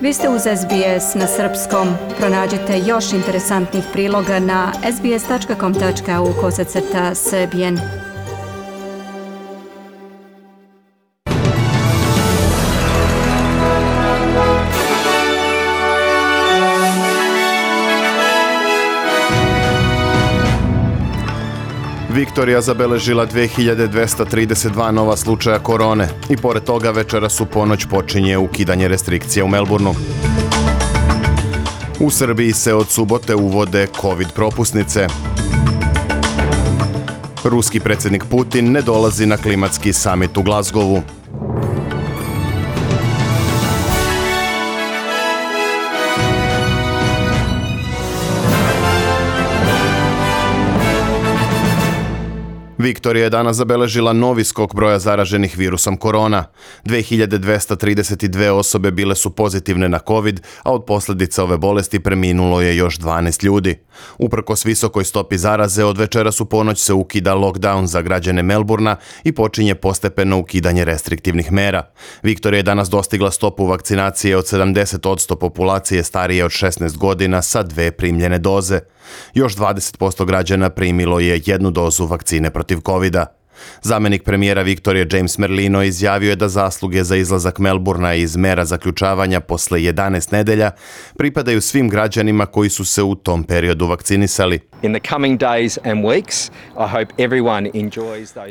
Vi ste uz SBS na srpskom. Pronađite još interesantnih priloga na sbs.com.au/srbijen. Viktorija zabeležila 2232 nova slučaja korone i pored toga večeras u ponoć počinje ukidanje restrikcija u Melbourneu. U Srbiji se od subote uvode COVID propusnice. Ruski predsjednik Putin ne dolazi na klimatski samit u Glasgowu. Viktorija je danas zabeležila novi skok broja zaraženih virusom korona. 2232 osobe bile su pozitivne na COVID, a od posljedica ove bolesti preminulo je još 12 ljudi. Uprkos visokoj stopi zaraze, od večeras u ponoć se ukida lockdown za građane Melbourna i počinje postepeno ukidanje restriktivnih mera. Viktorija je danas dostigla stopu vakcinacije od 70% populacije starije od 16 godina sa 2 primljene doze. Još 20% građana primilo je 1 dozu vakcine protiv COVID-a. Zamjenik premijera Viktorije James Merlino izjavio je da zasluge za izlazak Melbourna iz mera zaključavanja posle 11 nedelja pripadaju svim građanima koji su se u tom periodu vakcinisali.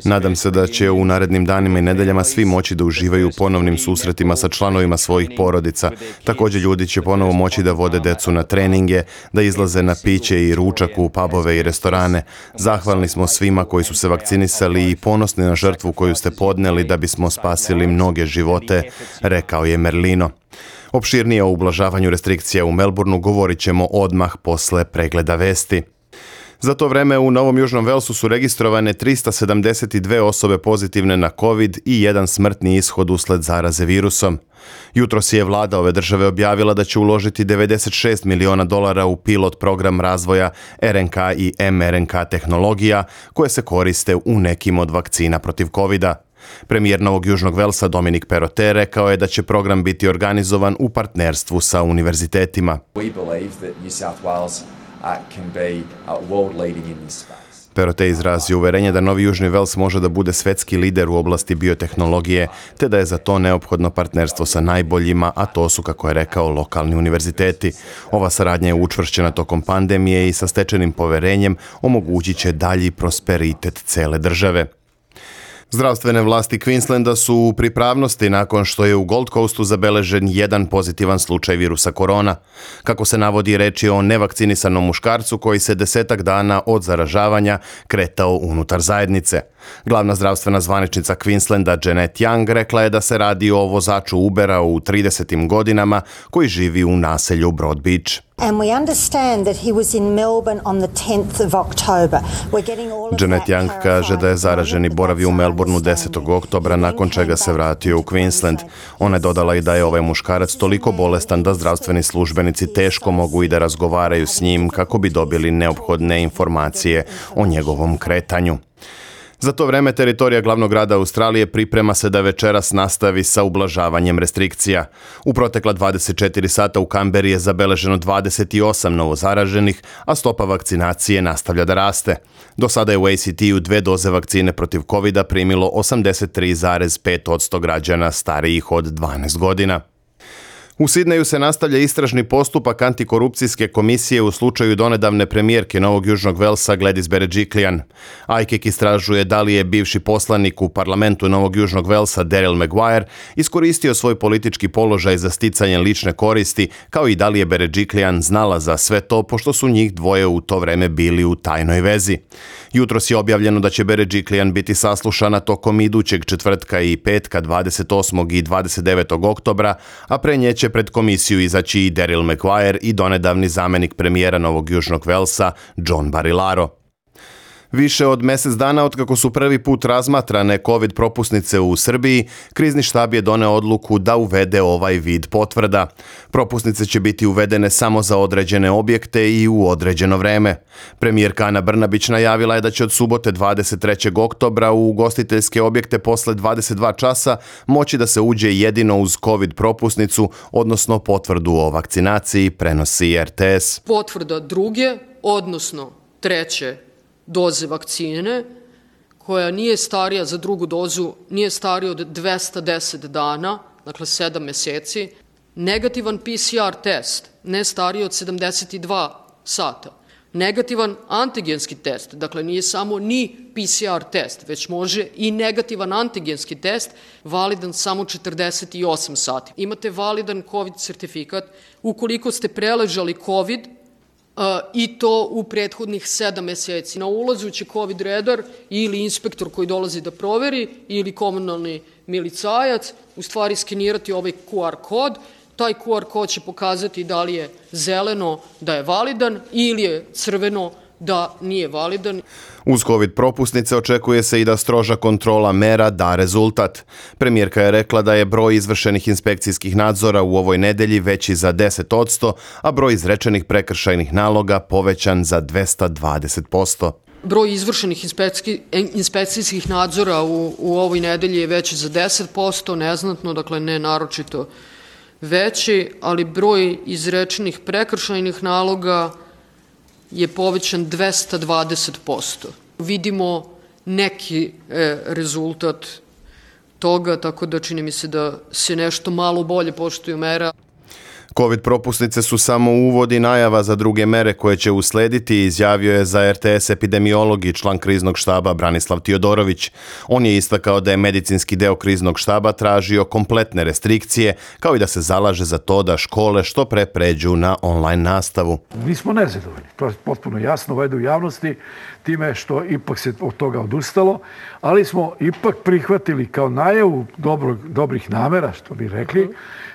Nadam se da će u narednim danima i nedeljama svi moći da uživaju u ponovnim susretima sa članovima svojih porodica. Također ljudi će ponovo moći da vode decu na treninge, da izlaze na piće i ručak u pubove i restorane. Zahvalni smo svima koji su se vakcinisali i ponosni na žrtvu koju ste podneli da bismo spasili mnoge živote, rekao je Merlino. Opširnije o ublažavanju restrikcija u Melbourneu govorit ćemo odmah posle pregleda vesti. Za to vreme u Novom Južnom Velsu su registrovane 372 osobe pozitivne na COVID i 1 smrtni ishod usled zaraze virusom. Jutros je vlada ove države objavila da će uložiti $96 miliona u pilot program razvoja RNK i mRNK tehnologija koje se koriste u nekim od vakcina protiv COVID-a. Premijer Novog Južnog Velsa Dominic Perrottet rekao je da će program biti organizovan u partnerstvu sa univerzitetima. Perrottet izrazio uverenje da Novi Južni Vels može da bude svetski lider u oblasti biotehnologije, te da je za to neophodno partnerstvo sa najboljima, a to su, kako je rekao, lokalni univerziteti. Ova saradnja je učvršćena tokom pandemije i sa stečenim poverenjem omogućit će dalji prosperitet cele države. Zdravstvene vlasti Queenslanda su u pripravnosti nakon što je u Gold Coastu zabeležen 1 pozitivan slučaj virusa korona. Kako se navodi, reč je o nevakcinisanom muškarcu koji se 10 dana od zaražavanja kretao unutar zajednice. Glavna zdravstvena zvaničnica Queenslanda Janet Young rekla je da se radi o vozaču Ubera u 30. godinama koji živi u naselju Broad Beach. And we understand that he was in Melbourne on the 10th of October. Janet Young kaže da je zaraženi boravio u Melbourneu 10. oktobra, nakon čega se vratio u Queensland. Ona je dodala i da je ovaj muškarac toliko bolestan da zdravstveni službenici teško mogu i da razgovaraju s njim kako bi dobili neophodne informacije o njegovom kretanju. Za to vreme teritorija glavnog grada Australije priprema se da večeras nastavi sa ublažavanjem restrikcija. U protekla 24 sata u Kamberi je zabeleženo 28 novozaraženih, a stopa vakcinacije nastavlja da raste. Do sada je u ACT-u 2 doze vakcine protiv COVID-a primilo 83,5% građana starijih od 12 godina. U Sidneju se nastavlja istražni postupak antikorupcijske komisije u slučaju donedavne premijerke Novog Južnog Velsa Gladys Berejiklian. AIKEK istražuje da li je bivši poslanik u parlamentu Novog Južnog Velsa Daryl Maguire iskoristio svoj politički položaj za sticanje lične koristi, kao i da li je Berejiklian znala za sve to, pošto su njih dvoje u to vreme bili u tajnoj vezi. Jutros je objavljeno da će Berejiklian biti saslušana tokom idućeg četvrtka i petka 28. i 29. oktobra, a pre nje će pred komisiju izaći i Daryl Maguire i donedavni zamjenik premijera Novog Južnog Velsa John Barilaro. Više od mjesec dana otkako su prvi put razmatrane COVID propusnice u Srbiji, krizni štab je doneo odluku da uvede ovaj vid potvrda. Propusnice će biti uvedene samo za određene objekte i u određeno vreme. Premijerka Ana Brnabić najavila je da će od subote 23. oktobra u ugostiteljske objekte posle 22 časa moći da se uđe jedino uz COVID propusnicu, odnosno potvrdu o vakcinaciji, prenosi RTS. Potvrda druge, odnosno treće doze vakcine, koja nije starija za drugu dozu, nije starija od 210 dana, dakle 7 meseci, negativan PCR test, ne stariji od 72 sata, negativan antigenski test, dakle nije samo ni PCR test, već može i negativan antigenski test, validan samo 48 sati. Imate validan COVID sertifikat ukoliko ste preležali COVID i to u prethodnih 7 meseci. Na ulazu će COVID redar ili inspektor koji dolazi da proveri ili komunalni milicajac u stvari skenirati ovaj QR kod. Taj QR kod će pokazati da li je zeleno da je validan ili je crveno da nije validan. Uz COVID propusnice očekuje se i da stroža kontrola mera da rezultat. Premijerka je rekla da je broj izvršenih inspekcijskih nadzora u ovoj nedelji veći za 10%, a broj izrečenih prekršajnih naloga povećan za 220%. Broj izvršenih inspekcijskih nadzora u ovoj nedelji je veći za 10%, neznatno, dakle ne naročito veći, ali broj izrečenih prekršajnih naloga je povećan 220%. Vidimo neki rezultat toga, tako da čini mi se da se nešto malo bolje poštuju mera. COVID propusnice su samo uvod i najava za druge mere koje će uslediti, izjavio je za RTS epidemiolog i član kriznog štaba Branislav Tiodorović. On je istakao da je medicinski deo kriznog štaba tražio kompletne restrikcije, kao i da se zalaže za to da škole što pre pređu na online nastavu. Nismo nezadovoljni, to je potpuno jasno u javnosti, time što ipak se od toga odustalo, ali smo ipak prihvatili kao najavu dobrih namera, što bi rekli,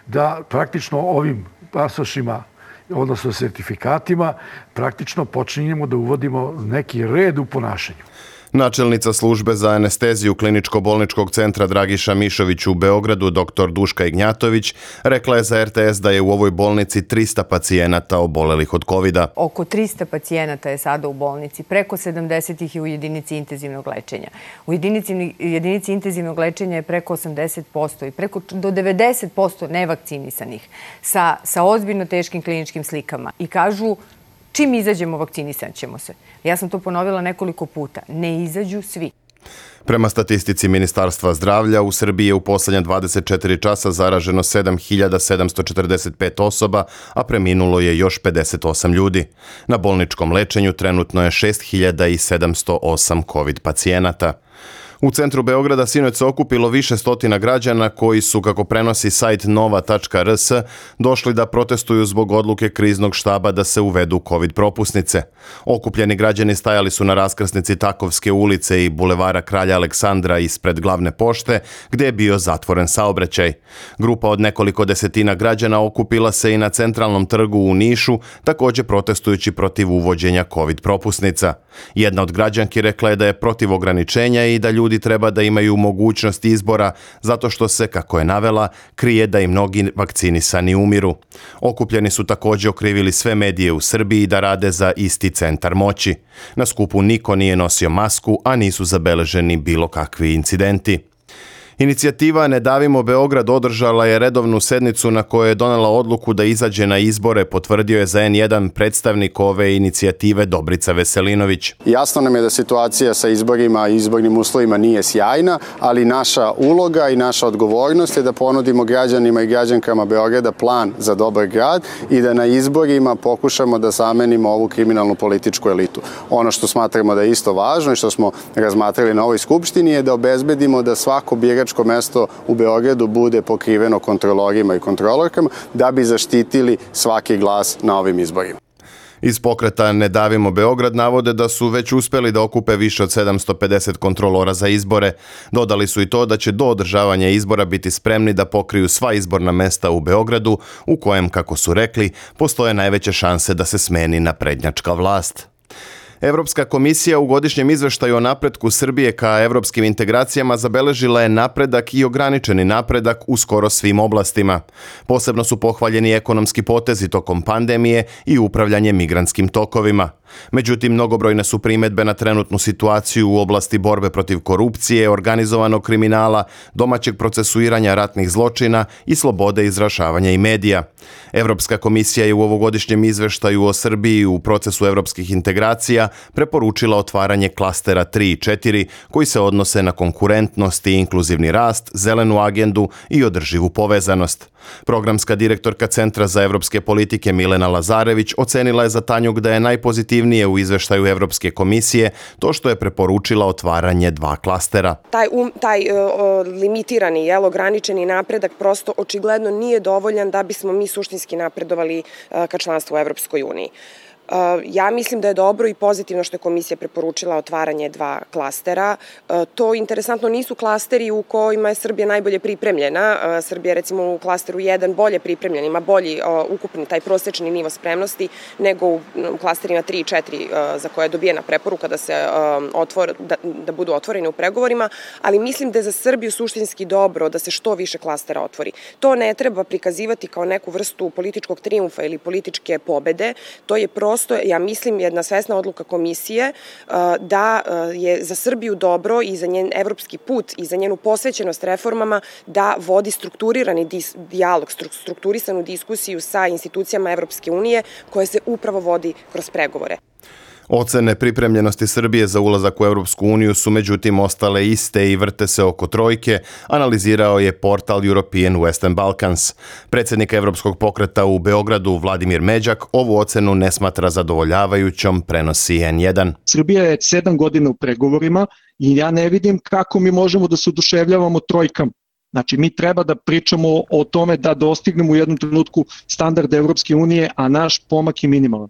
da praktično ovim pasošima, odnosno sertifikatima, praktično počinjemo da uvodimo neki red u ponašanju. Načelnica službe za anesteziju Kliničko-bolničkog centra Dragiša Mišović u Beogradu, dr. Duška Ignjatović, rekla je za RTS da je u ovoj bolnici 300 pacijenata obolelih od COVID-a. Oko 300 pacijenata je sada u bolnici, preko 70 ih je u jedinici intenzivnog lečenja. U jedinici intenzivnog lečenja je preko 80% i preko do 90% nevakcinisanih sa ozbiljno teškim kliničkim slikama. I kažu, čim izađemo, vakcinisat ćemo se. Ja sam to ponovila nekoliko puta. Ne izađu svi. Prema statistici Ministarstva zdravlja, u Srbiji je u posljednja 24 časa zaraženo 7.745 osoba, a preminulo je još 58 ljudi. Na bolničkom lečenju trenutno je 6.708 COVID pacijenata. U centru Beograda sinoć se okupilo više stotina građana koji su, kako prenosi sajt nova.rs, došli da protestuju zbog odluke kriznog štaba da se uvedu COVID propusnice. Okupljeni građani stajali su na raskrsnici Takovske ulice i bulevara Kralja Aleksandra ispred glavne pošte, gdje je bio zatvoren saobraćaj. Grupa od nekoliko desetina građana okupila se i na centralnom trgu u Nišu, također protestujući protiv uvođenja COVID propusnica. Jedna od građanki rekla je da je protiv ograničenja i da ljudi treba da imaju mogućnost izbora zato što se, kako je navela, krije da i mnogi vakcinisani umiru. Okupljeni su također okrivili sve medije u Srbiji da rade za isti centar moći. Na skupu niko nije nosio masku, a nisu zabeleženi bilo kakvi incidenti. Inicijativa Ne davimo Beograd održala je redovnu sednicu na kojoj je donela odluku da izađe na izbore, potvrdio je za N1 predstavnik ove inicijative Dobrica Veselinović. Jasno nam je da situacija sa izborima i izbornim uslovima nije sjajna, ali naša uloga i naša odgovornost je da ponudimo građanima i građankama Beograda plan za dobar grad i da na izborima pokušamo da zamenimo ovu kriminalnu političku elitu. Ono što smatramo da je isto važno i što smo razmatrali na ovoj skupštini je da obezbedimo da svako biračko mesto u Beogradu bude pokriveno kontrolorima i kontrolorkama da bi zaštitili svaki glas na ovim izborima. Iz pokreta Ne davimo Beograd navode da su već uspjeli da okupe više od 750 kontrolora za izbore. Dodali su i to da će do održavanja izbora biti spremni da pokriju sva izborna mesta u Beogradu, u kojem, kako su rekli, postoje najveće šanse da se smeni naprednjačka vlast. Evropska komisija u godišnjem izveštaju o napretku Srbije ka evropskim integracijama zabeležila je napredak i ograničeni napredak u skoro svim oblastima. Posebno su pohvaljeni ekonomski potezi tokom pandemije i upravljanje migrantskim tokovima. Međutim, mnogobrojne su primedbe na trenutnu situaciju u oblasti borbe protiv korupcije, organizovanog kriminala, domaćeg procesuiranja ratnih zločina i slobode izražavanja i medija. Evropska komisija je u ovogodišnjem izveštaju o Srbiji u procesu evropskih integracija preporučila otvaranje klastera 3 i 4 koji se odnose na konkurentnost i inkluzivni rast, zelenu agendu i održivu povezanost. Programska direktorka Centra za evropske politike Milena Lazarević ocenila je za Tanjug da je najpozitivnije u izveštaju Evropske komisije to što je preporučila otvaranje 2 klastera. Taj limitirani, ograničeni napredak prosto očigledno nije dovoljan da bismo mi suštinski napredovali ka članstvu u Evropskoj uniji. Ja mislim da je dobro i pozitivno što je komisija preporučila otvaranje 2 klastera. To interesantno nisu klasteri u kojima je Srbija najbolje pripremljena. Srbija recimo u klasteru 1 bolje pripremljena, ima bolji ukupni taj prosečni nivo spremnosti nego u klasterima 3 i 4 za koje je dobijena preporuka da budu otvoreni u pregovorima, ali mislim da je za Srbiju suštinski dobro da se što više klastera otvori. To ne treba prikazivati kao neku vrstu političkog trijumfa ili političke pobede, to je prosto, ja mislim, jedna svesna odluka komisije da je za Srbiju dobro i za njen evropski put i za njenu posvećenost reformama da vodi strukturirani dijalog, strukturisanu diskusiju sa institucijama Evropske unije koje se upravo vodi kroz pregovore. Ocene pripremljenosti Srbije za ulazak u Europsku uniju su međutim ostale iste i vrte se oko trojke, analizirao je portal European Western Balkans. Predsjednik Evropskog pokreta u Beogradu Vladimir Međak ovu ocenu ne smatra zadovoljavajućom, prenosi N1. Srbija je 7 godina u pregovorima i ja ne vidim kako mi možemo da se oduševljavamo trojkama. Znači, mi treba da pričamo o tome da dostignemo u jednom trenutku standard Evropske unije, a naš pomak je minimalan.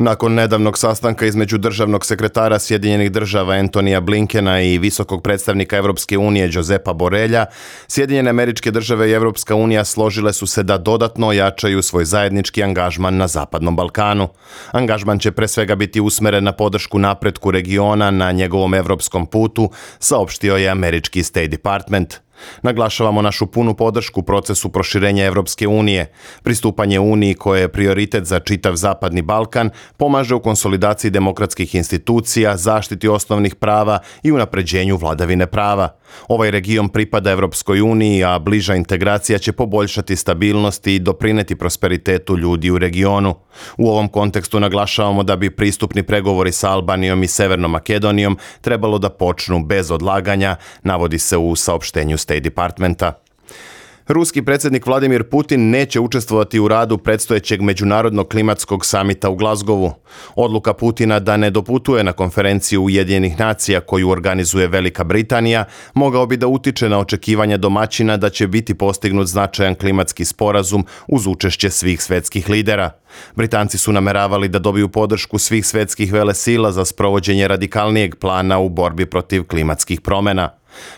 Nakon nedavnog sastanka između državnog sekretara Sjedinjenih država Antonija Blinkena i visokog predstavnika Evropske unije Josepa Borrella, Sjedinjene Američke Države i Evropska unija složile su se da dodatno ojačaju svoj zajednički angažman na Zapadnom Balkanu. Angažman će pre svega biti usmeren na podršku napretku regiona na njegovom evropskom putu, saopštio je američki State Department. Naglašavamo našu punu podršku procesu proširenja Evropske unije. Pristupanje Uniji, koje je prioritet za čitav Zapadni Balkan, pomaže u konsolidaciji demokratskih institucija, zaštiti osnovnih prava i unapređenju vladavine prava. Ovaj region pripada Evropskoj uniji, a bliža integracija će poboljšati stabilnost i doprineti prosperitetu ljudi u regionu. U ovom kontekstu naglašavamo da bi pristupni pregovori sa Albanijom i Severnom Makedonijom trebalo da počnu bez odlaganja, navodi se u saopštenju State Departmenta. Ruski predsjednik Vladimir Putin neće učestvovati u radu predstojećeg međunarodnog klimatskog samita u Glazgovu. Odluka Putina da ne doputuje na konferenciju Ujedinjenih nacija koju organizuje Velika Britanija mogao bi da utiče na očekivanja domaćina da će biti postignut značajan klimatski sporazum uz učešće svih svetskih lidera. Britanci su nameravali da dobiju podršku svih svetskih velesila za sprovođenje radikalnijeg plana u borbi protiv klimatskih promjena.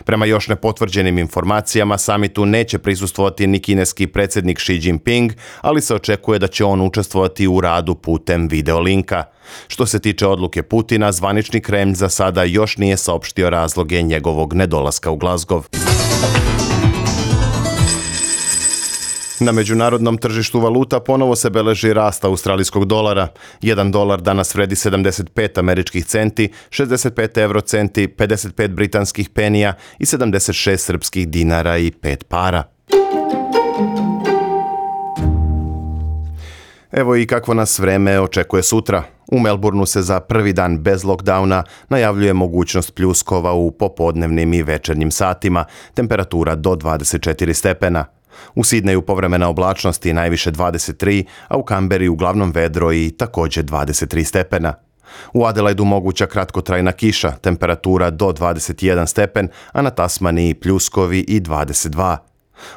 Prema još nepotvrđenim informacijama, samitu neće prisustvovati ni kineski predsjednik Xi Jinping, ali se očekuje da će on učestvovati u radu putem videolinka. Što se tiče odluke Putina, zvanični Kremlj za sada još nije saopštio razloge njegovog nedolaska u Glazgov. Na međunarodnom tržištu valuta ponovo se beleži rast australijskog dolara. 1 dolar danas vredi 75 američkih centi, 65 eurocenti, 55 britanskih penija i 76 srpskih dinara i 5 para. Evo i kakvo nas vreme očekuje sutra. U Melbourneu se za prvi dan bez lockdowna najavljuje mogućnost pljuskova u popodnevnim i večernjim satima, temperatura do 24 stepena. U Sidneju povremena oblačnost i najviše 23, a u Kamberi uglavnom vedro i također 23 stepena. U Adelaidu moguća kratkotrajna kiša, temperatura do 21 stepen, a na Tasmaniji pljuskovi i 22.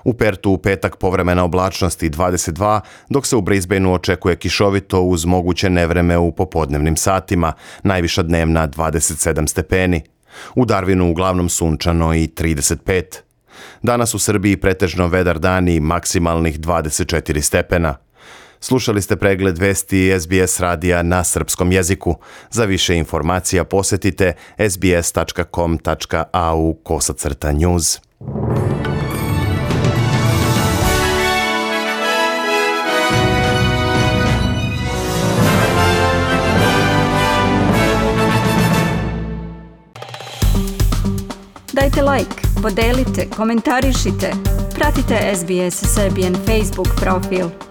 U Pertu u petak povremena oblačnost i 22, dok se u Brisbaneu očekuje kišovito uz moguće nevreme u popodnevnim satima, najviša dnevna 27 stepeni. U Darwinu uglavnom sunčano i 35. Danas u Srbiji pretežno vedar dan i maksimalnih 24 stepena. Slušali ste pregled vesti SBS radija na srpskom jeziku. Za više informacija posetite sbs.com.au/news. Dajte like, podelite, komentarišite. Pratite SBS Serbian Facebook profil.